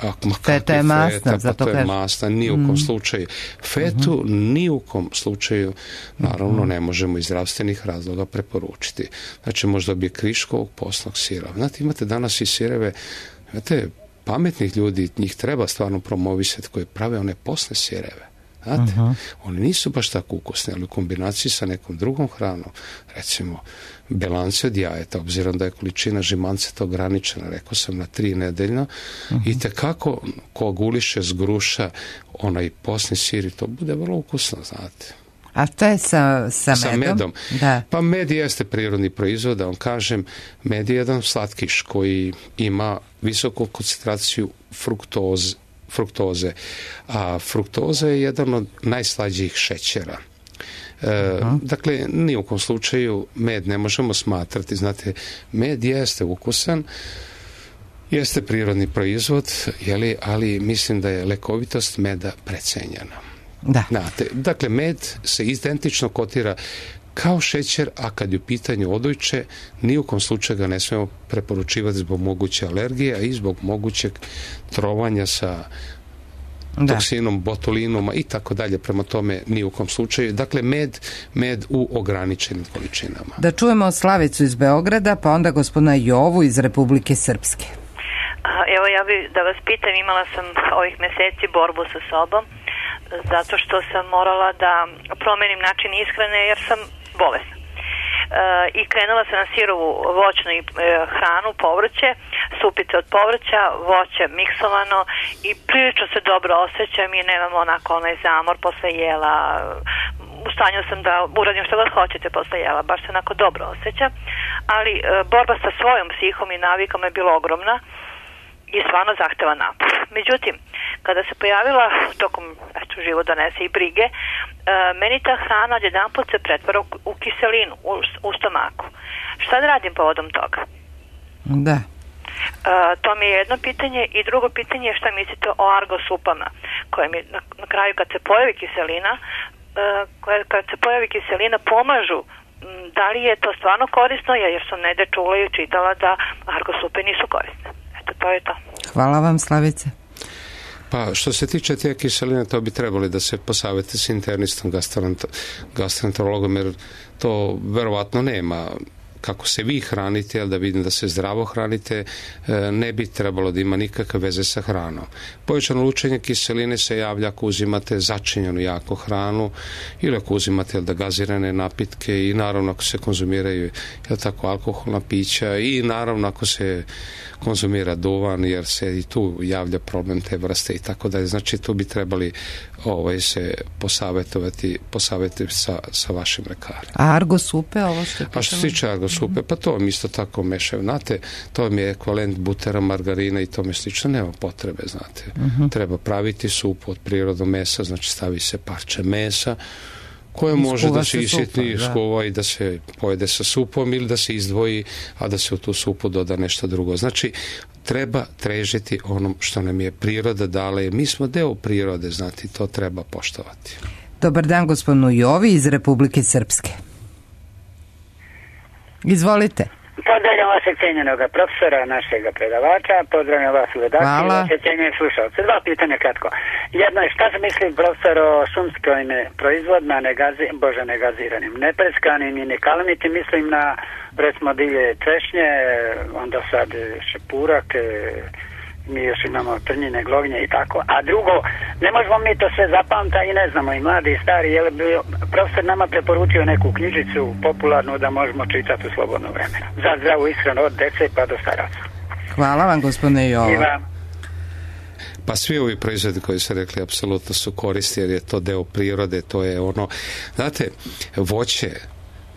A, ma feta je masna, feta, zato pa to kaže. je masna, ni u kom mm. slučaju. Fetu mm-hmm. ni u kom slučaju, naravno, mm-hmm. ne možemo iz zdravstvenih razloga preporučiti. Znači, možda bi kriškovog posnog sira. Znate, imate danas i sireve, znate, pametnih ljudi, njih treba stvarno promovisati, koji prave one posne sireve. Znate, uh-huh. oni nisu baš tako ukusni, ali u kombinaciji sa nekom drugom hranom, recimo belance od jajeta, obzirom da je količina žimanceta ograničena, rekao sam, na tri nedeljno, uh-huh. i tekako ko guliše z gruša onaj posni sir, to bude vrlo ukusno, znate. A što je sa, sa medom? Sa medom. Da. Pa med jeste prirodni proizvod, da vam kažem, med je jedan slatkiš koji ima visoku koncentraciju fruktoze, fruktoze. A fruktoza je jedan od najslađijih šećera. E, uh-huh. Dakle, ni u kom slučaju med ne možemo smatrati, znate, med jeste ukusan, jeste prirodni proizvod, jeli, ali mislim da je lekovitost meda precenjena. Da. Znate, dakle, med se identično kotira kao šećer, a kad je u pitanju odojče, ni u kom slučaju ga ne smemo preporučivati zbog moguće alergije, a i zbog mogućeg trovanja sa da. toksinom, botulinom i tako dalje. Prema tome, ni u kom slučaju. Dakle, med, med u ograničenim količinama. Da čujemo Slavicu iz Beograda, pa onda gospodina Jovu iz Republike Srpske. Evo, ja bih da vas pitam, imala sam ovih meseci borbu sa sobom, zato što sam morala da promenim način ishrane jer sam bolesna. E, I krenula sam na sirovu voćnu i e, hranu, povrće, supice od povrća, voće miksovano i prilično se dobro osjećam i nemam onako onaj zamor posle jela. U stanju sam da uradim što god hoćete posle jela, baš se onako dobro osjećam, ali e, borba sa svojom psihom i navikom je bila ogromna i stvarno zahteva napor. Međutim, kada se pojavila tokom, eto, život donese i brige, e, meni ta hrana odjedanput se pretvara u, u kiselinu, u, u stomaku. Šta da radim povodom toga? Da. to mi je jedno pitanje i drugo pitanje je šta mislite o argosupama koje mi na, na kraju kad se pojavi kiselina uh, koje, kad se pojavi kiselina pomažu. Da li je to stvarno korisno, jer sam negde čula i čitala da argosupe nisu korisne. Eto, to je to. Hvala vam, Slavice. Pa što se tiče te kiseline, to bi trebali da se posavete s internistom, gastroenterologom, jer to verovatno nema kako se vi hranite, ali da vidim da se zdravo hranite, ne bi trebalo da ima nikakve veze sa hranom. Povećano lučenje kiseline se javlja ako uzimate začinjenu jako hranu ili ako uzimate da gazirane napitke i naravno ako se konzumiraju jel tako, alkoholna pića i naravno ako se konzumira duvan, jer se i tu javlja problem te vrste i tako dalje. Znači tu bi trebali ovaj, se posavetovati, posavetovati sa, sa vašim lekarem. A argosupe, ovo što je A što se tiče argosupe, pa to vam isto tako mešaju. Znate, to mi je ekvivalent butera, margarina i tome slično. Nema potrebe, znate. Uh-huh. Treba praviti supu od prirodnog mesa, znači stavi se parče mesa, koje može da se isitni, skuva i da se pojede sa supom ili da se izdvoji, a da se u tu supu doda nešto drugo. Znači, treba trežiti onom što nam je priroda dala. Mi smo deo prirode, znati, to treba poštovati. Dobar dan, gospodinu Jovi iz Republike Srpske. Izvolite. Pozdravljam vašeg cijenjenog profesora, našeg predavača, pozdravljam vas u redakciji, vaše cijenjene slušalce. Dva pitanja kratko. Jedno je šta se misli profesor o šumskim proizvodima, negazi, bože negaziranim, nepreskanim i nekalamiti, mislim na recimo divlje češnje, onda sad šepurak, mi još imamo trnjine, glognje i tako. A drugo, ne možemo mi to sve zapamta i ne znamo, i mladi i stari, je li bi profesor nama preporučio neku knjižicu popularnu da možemo čitati u slobodno vremena. Za zdravu ishranu od dece pa do staraca. Hvala vam, gospodine Jovo. Pa svi ovi proizvodi koji su rekli apsolutno su koristi, jer je to deo prirode, to je ono, znate, voće,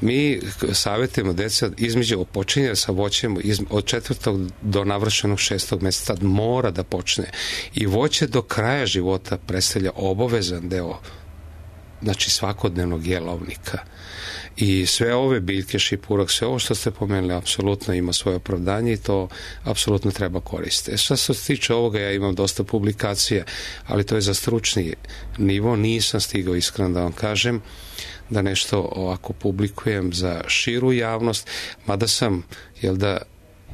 mi savjetujemo djeca između počinje sa voćem od četvrtog do navršenog šestog mjeseca mora da počne i voće do kraja života predstavlja obavezan deo, znači svakodnevnog jelovnika. I sve ove biljke, šipurak, sve ovo što ste pomenuli apsolutno ima svoje opravdanje i to apsolutno treba koristiti. Što se tiče ovoga, ja imam dosta publikacija, ali to je za stručni nivo, nisam stigao iskreno da vam kažem da nešto ovako publikujem za širu javnost, mada sam, jel da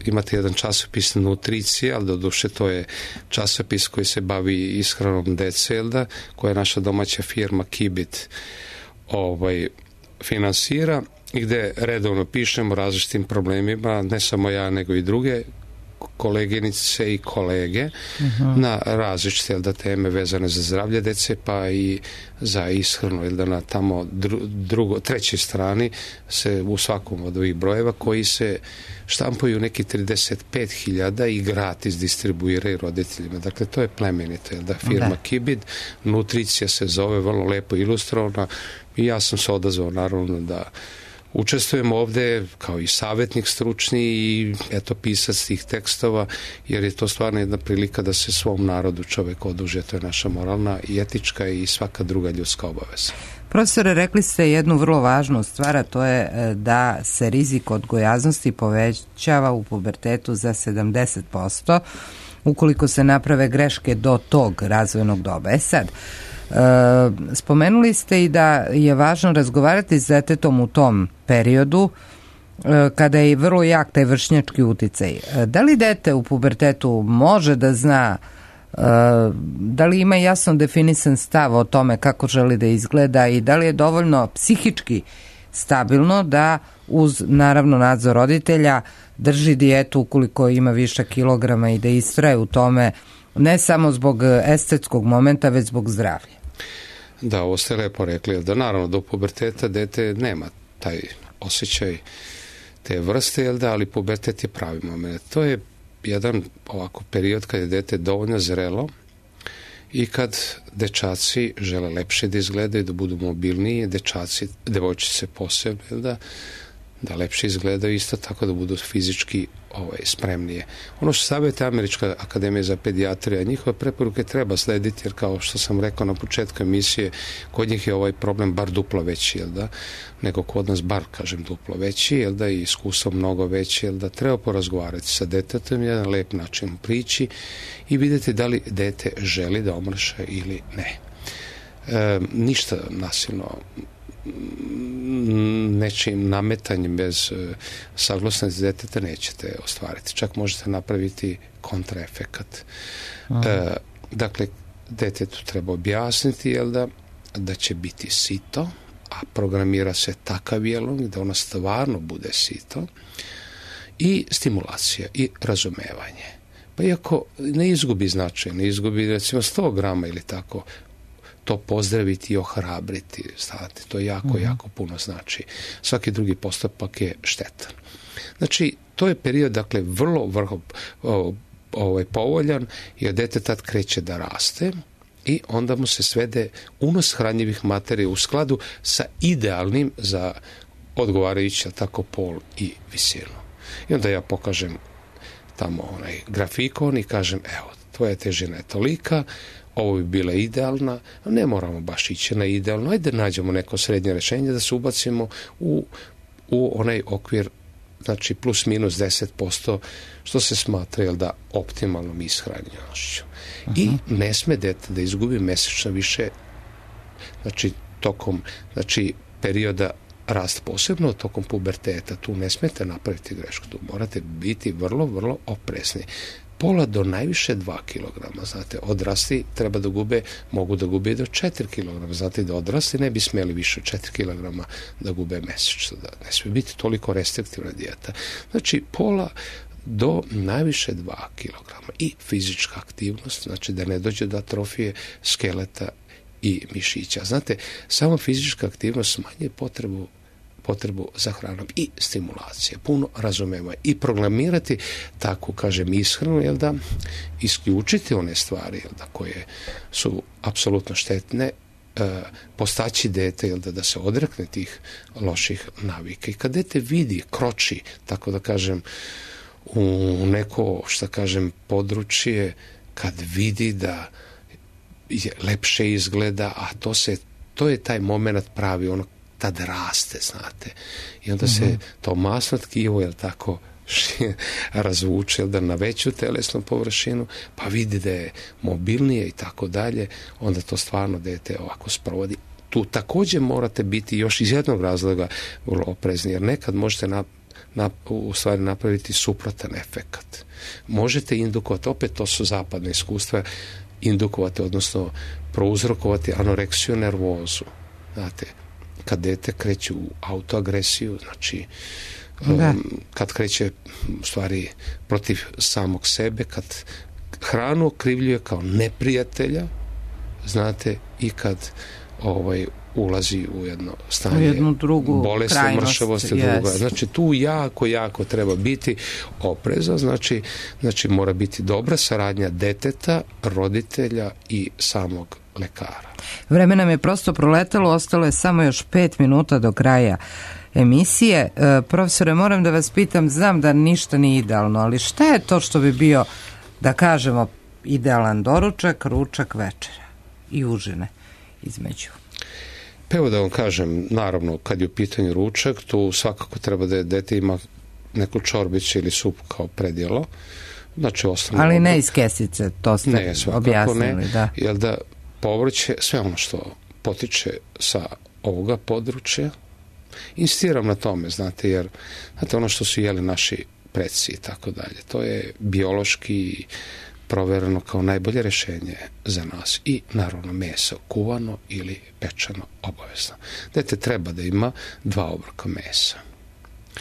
imate jedan časopis nutricije, ali doduše to je časopis koji se bavi ishranom dece, jel da, koja je naša domaća firma Kibit ovaj, finansira i gde redovno pišemo o različitim problemima, ne samo ja, nego i druge koleginice i kolege uh-huh. na različite da, teme vezane za zdravlje dece, pa i za ishranu, da na tamo dru, drugo, trećoj strani se u svakom od ovih brojeva koji se štampuju neki trideset pet hiljada i gratis distribuiraju roditeljima. Dakle, to je plemenito, da firma da. Kibid, nutricija se zove, vrlo lepo ilustrovana i ja sam se odazvao naravno da učestvujem ovde kao i savjetnik stručni i eto pisac tih tekstova, jer je to stvarno jedna prilika da se svom narodu čovek oduže, to je naša moralna i etička i svaka druga ljudska obaveza. Profesore, rekli ste jednu vrlo važnu stvar, a to je da se rizik od gojaznosti povećava u pubertetu za sedamdeset posto ukoliko se naprave greške do tog razvojnog doba. E sad, E, spomenuli ste i da je važno razgovarati s detetom u tom periodu e, kada je vrlo jak taj vršnjački uticaj. E, da li dete u pubertetu može da zna, e, da li ima jasno definisan stav o tome kako želi da izgleda i da li je dovoljno psihički stabilno da uz naravno nadzor roditelja drži dijetu ukoliko ima višak kilograma i da istraje u tome ne samo zbog estetskog momenta, već zbog zdravlja? Da, ovo ste lepo rekli, da naravno do puberteta dete nema taj osjećaj te vrste, jel da, ali pubertet je pravi moment. To je jedan ovako period kad je dete dovoljno zrelo i kad dečaci žele lepše da izgledaju, da budu mobilniji, dečaci, devojčice posebno, jel da, da lepše izgledaju, isto tako da budu fizički ovaj, spremnije. Ono što savjeti Američka akademija za pedijatriju, njihove preporuke treba slediti, jer kao što sam rekao na početku emisije, kod njih je ovaj problem bar duplo veći, jel da, nego kod nas bar, kažem, duplo veći, jel da, i iskustvo mnogo veći, jel da, treba porazgovarati sa detetom, jedan lep način prići i vidjeti da li dete želi da omrša ili ne. E, ništa nasilno nečim nametanjem bez uh, saglasnosti deteta nećete ostvariti. Čak možete napraviti kontraefekat. Uh, dakle, detetu treba objasniti, jel da, da će biti sito, a programira se takav jelog da ona stvarno bude sito, i stimulacija i razumevanje. Pa iako ne izgubi značaj, ne izgubi recimo sto grama ili tako, to pozdraviti i ohrabriti, stavati, to jako, uh-huh. jako puno znači. Svaki drugi postupak je štetan. Znači, to je period, dakle, vrlo, vrlo ovaj, povoljan, jer dete tad kreće da raste i onda mu se svede unos hranjivih materija u skladu sa idealnim za odgovarajući tako pol i visinu. I onda ja pokažem tamo onaj grafikon i kažem, evo, tvoja težina je tolika, ovo bi bila idealna, a ne moramo baš ići na idealno, ajde nađemo neko srednje rješenje da se ubacimo u, u onaj okvir, znači plus minus deset posto, što se smatra, jel da, optimalnom ishranjenošću. Uh-huh. I ne sme dete da izgubi mesečno više, znači tokom, znači perioda rast, posebno tokom puberteta, tu ne smete napraviti grešku, tu morate biti vrlo, vrlo oprezni. Pola do najviše dva kilograma, znate, odrasli treba da gube, mogu da gube do četiri kilograma, znate, da odrasli ne bi smeli više od četiri kilograma da gube mesečno, da ne smije biti toliko restriktivna dijeta. Znači, pola do najviše dva kilograma i fizička aktivnost, znači da ne dođe do atrofije skeleta i mišića. Znate, samo fizička aktivnost smanjuje potrebu potrebu za hranom i stimulacije, puno razumeva i programirati takvu, kažem, ishranu, jel da, isključiti one stvari, jel da, koje su apsolutno štetne, e, postaći dete, jel da, da se odrekne tih loših navika. I kad dete vidi, kroči, tako da kažem, u neko, što kažem, područje, kad vidi da je lepše izgleda, a to se, to je taj moment pravi, ono tad raste, znate. I onda se to masno tkivo, jel tako, razvuče, jel da, na veću telesnu površinu, pa vidi da je mobilnije i tako dalje, onda to stvarno dete ovako sprovodi. Tu također morate biti još iz jednog razloga vrlo oprezni, jer nekad možete na, na, u stvari napraviti suprotan efekat. Možete indukovati, opet to su zapadne iskustva, indukovati, odnosno prouzrokovati anoreksiju nervozu. Znate, kad dete kreće u autoagresiju, znači um, kad kreće u stvari protiv samog sebe, kad hranu okrivljuje kao neprijatelja, znate, i kad ovaj ulazi u jedno stanje, u jednu drugu bolesti, mršavosti, yes. druga. Znači tu jako, jako treba biti oprezan, znači, znači mora biti dobra saradnja deteta, roditelja i samog lekara. Vreme nam je prosto proletalo, ostalo je samo još pet minuta do kraja emisije. E, profesore, moram da vas pitam, znam da ništa nije idealno, ali šta je to što bi bio, da kažemo, idealan doručak, ručak, večera i užine između? Pa evo da vam kažem, naravno, kad je u pitanju ručak, tu svakako treba da dete ima neku čorbicu ili sup kao predjelo. Znači, osnovno, ali ne iz kesice, to ste ne, objasnili. Ne, da. Jer da povrće, sve ono što potiče sa ovoga područja, insistiram na tome, znate, jer znate, ono što su jeli naši preci i tako dalje, to je biološki provereno kao najbolje rješenje za nas. I naravno meso, kuvano ili pečeno, obavezno. Dete treba da ima dva obroka mesa.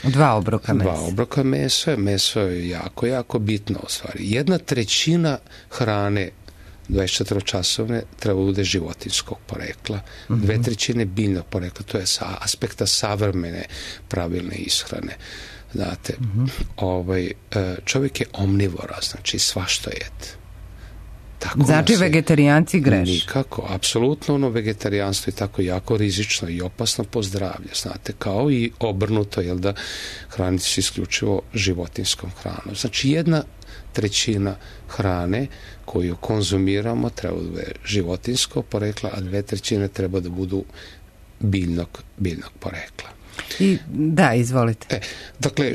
Dva obroka mesa. Dva obroka mesa. Meso je jako, jako bitno u stvari. Jedna trećina hrane dvadesetčetvoročasovne treba bude životinskog porekla, uh-huh. dve trećine biljnog porekla, to je sa aspekta savremene pravilne ishrane. Znate, uh-huh. ovaj, čovjek je omnivora, znači svašta jede. Tako znači vegetarijanci greši? Nikako, apsolutno ono vegetarijanstvo je tako jako rizično i opasno po zdravlje, znate, kao i obrnuto, jel da, hraniti se isključivo životinskom hranom. Znači jedna trećina hrane koju konzumiramo treba da bude životinsko porekla, a dve trećine treba da budu biljnog, biljnog porekla. I, da, izvolite. E, dakle,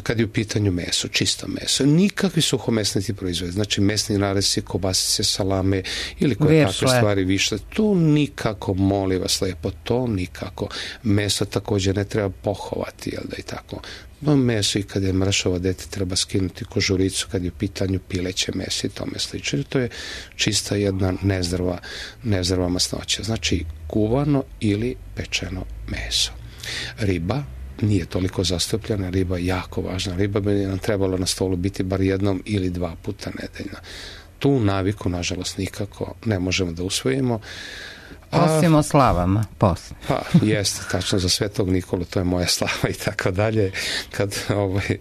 kad je u pitanju meso, čisto meso, nikakvi suhomesnati proizvodi, znači mesni narezci, kobasice, salame ili koje takve stvari više, to nikako, molim vas lepo, to nikako. Meso također ne treba pohovati, jel da i tako. No, meso i kad je mršavo dete treba skinuti kožuricu kad je u pitanju pileće meso i tome slično. To je čista jedna nezdrava, nezdrava masnoća. Znači, kuvano ili pečeno meso. Riba nije toliko zastupljena, riba je jako važna. Riba bi nam trebalo na stolu biti bar jednom ili dva puta nedeljno. Tu naviku, nažalost, nikako ne možemo da usvojimo. Osim o slavama, posle. Pa, jeste, tačno, za Svetog Nikolu, to je moja slava i tako dalje. Kad ovaj,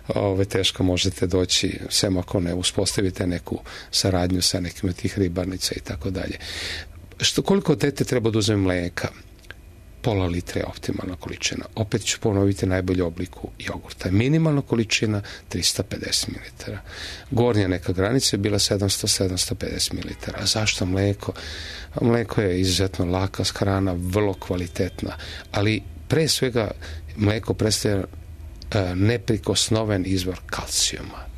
ovaj, teško možete doći, sem ako ne uspostavite neku saradnju sa nekim od tih ribarnica i tako dalje. Što, koliko dete treba da uzme mlijeka? Pola litre je optimalna količina. Opet ću ponoviti najbolju obliku jogurta. Minimalna količina trista pedeset mililitara. Gornja neka granica je bila sedamsto do sedamsto pedeset mililitara. A zašto mlijeko? Mlijeko je izuzetno laka hrana, vrlo kvalitetna, ali pre svega mlijeko predstavlja neprikosnoven izvor kalcijuma.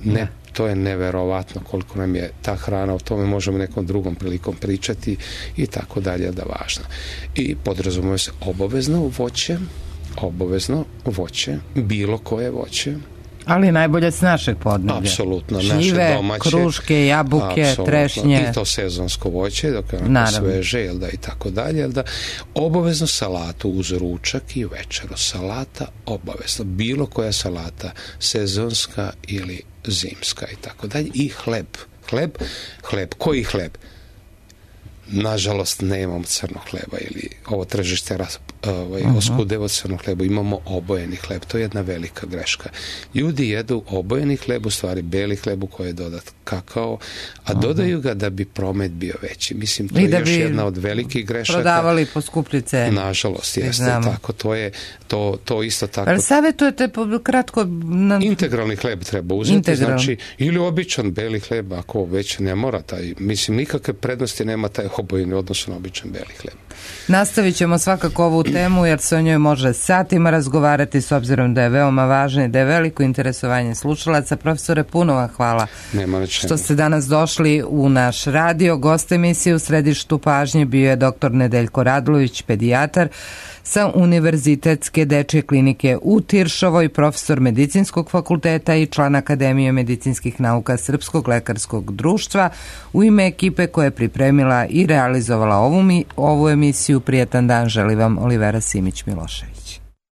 Ne, to je neverovatno koliko nam je ta hrana, o tome možemo nekom drugom prilikom pričati i tako dalje, da važno. I podrazumuje se obavezno voće, obavezno voće, bilo koje voće. Ali najbolje s našeg podneblja. Apsolutno, šljive, naše domaće. Kruške, jabuke, apsolutno. Trešnje. I to sezonsko voće, dok je onako sveže, jel da, i tako dalje, jel da. Obavezno salatu uz ručak i večeru. Salata obavezno. Bilo koja salata, sezonska ili zimska i tako dalje. I hleb. Hleb, hleb. Koji hleb? Nažalost, ne imamo crnog hleba ili ovo tržište ovaj, uh-huh. oskudeva crnog hleba. Imamo obojeni hleb. To je jedna velika greška. Ljudi jedu obojeni hleb, u stvari beli hleb u koji je dodat kakao, a uh-huh. dodaju ga da bi promet bio veći. Mislim, to I je još jedna od velikih grešaka. Prodavali po skuplji ceni. Nažalost, jeste tako. To je to, to isto tako. Ali savjetujete kratko... Na... Integralni hleb treba uzeti. Integral. Znači, ili običan beli hleb, ako već ne mora taj, mislim, nikakve prednosti nema taj obojeni odnosno na običan beli hleb. Nastavit ćemo svakako ovu temu jer se o njoj može satima razgovarati s obzirom da je veoma važna i da je veliko interesovanje slušalaca. Profesore, puno vam hvala što ste danas došli u naš radio. Gost emisije u središtu pažnje bio je doktor Nedeljko Radulović, pedijatar sa Univerzitetske dečje klinike u Tiršovoj, profesor Medicinskog fakulteta i član Akademije medicinskih nauka Srpskog lekarskog društva. U ime ekipe koja je pripremila i realizovala ovu, mi, ovu emisiju, prijetan dan želi vam Olivera Simić-Milošević.